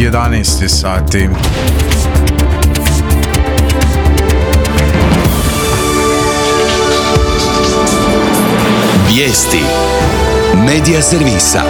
11 sati. Vijesti Medija servisa.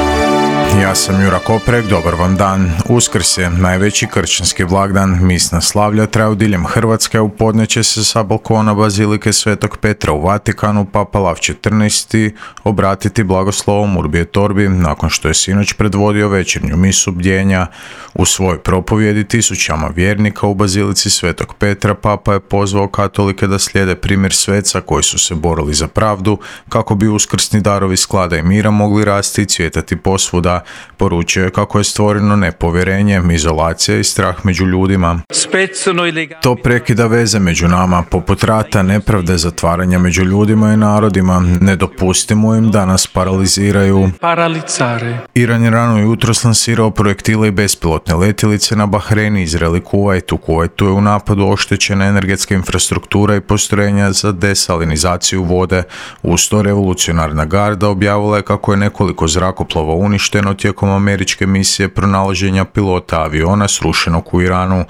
Ja sam Jura Koprek, dobar vam dan. Uskrs je najveći kršćanski blagdan. Misna slavlja traju diljem Hrvatske, u podne će se sa balkona Bazilike Svetog Petra u Vatikanu Papa Lav XIV obratiti blagoslovom Urbi et Orbi nakon što je sinoć predvodio večernju misu bdjenja. U svojoj propovjedi tisućama vjernika u Bazilici Svetog Petra Papa je pozvao katolike da slijede primjer sveca koji su se borili za pravdu kako bi uskrsni darovi sklada i mira mogli rasti i cvjetati posvuda. Poručio je kako je stvoreno nepovjerenje, izolacija i strah među ljudima. To prekida veze među nama, poput rata, nepravde, zatvaranja među ljudima i narodima. Ne dopustimo im da nas paraliziraju. Iran je rano jutros lansirao projektile i bespilotne letjelice na Bahrein, Izrael i Kuvajt. U Kuvajtu je u napadu oštećena energetska infrastruktura i postrojenja za desalinizaciju vode. Uz to revolucionarna garda objavila je kako je nekoliko zrakoplova uništeno tijekom američke misije pronalaženja pilota aviona srušenog u Iranu.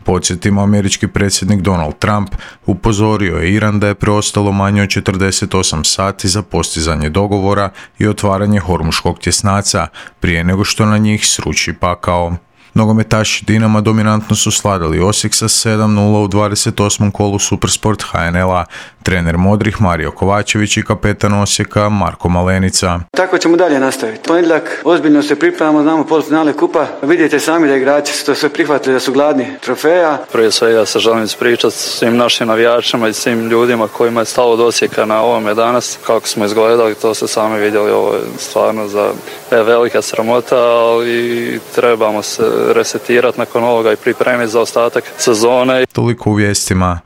Podsjetimo, američki predsjednik Donald Trump upozorio je Iran da je preostalo manje od 48 sati za postizanje dogovora i otvaranje Hormuškog tjesnaca prije nego što na njih sruči pakao. Nogometaši Dinama dominantno su sladali Osijek sa 7-0 u 28. kolu Supersport HNL-a. Trener modrih Mario Kovačević i kapetan Osijeka Marko Malenica. Tako ćemo dalje nastaviti. Ponedjeljak ozbiljno se pripremamo, znamo polufinale kupa. Vidite sami da igrači su to sve prihvatili, da su gladni trofeja. Prije svega se želim ispričati svim našim navijačima i svim ljudima kojima je stalo do Osijeka na ovome danas. Kako smo izgledali, to se sami vidjeli, ovo je stvarno za velika sramota, ali trebamo se resetirati nakon ovoga i pripremiti za ostatak sezone. Toliko u vijestima.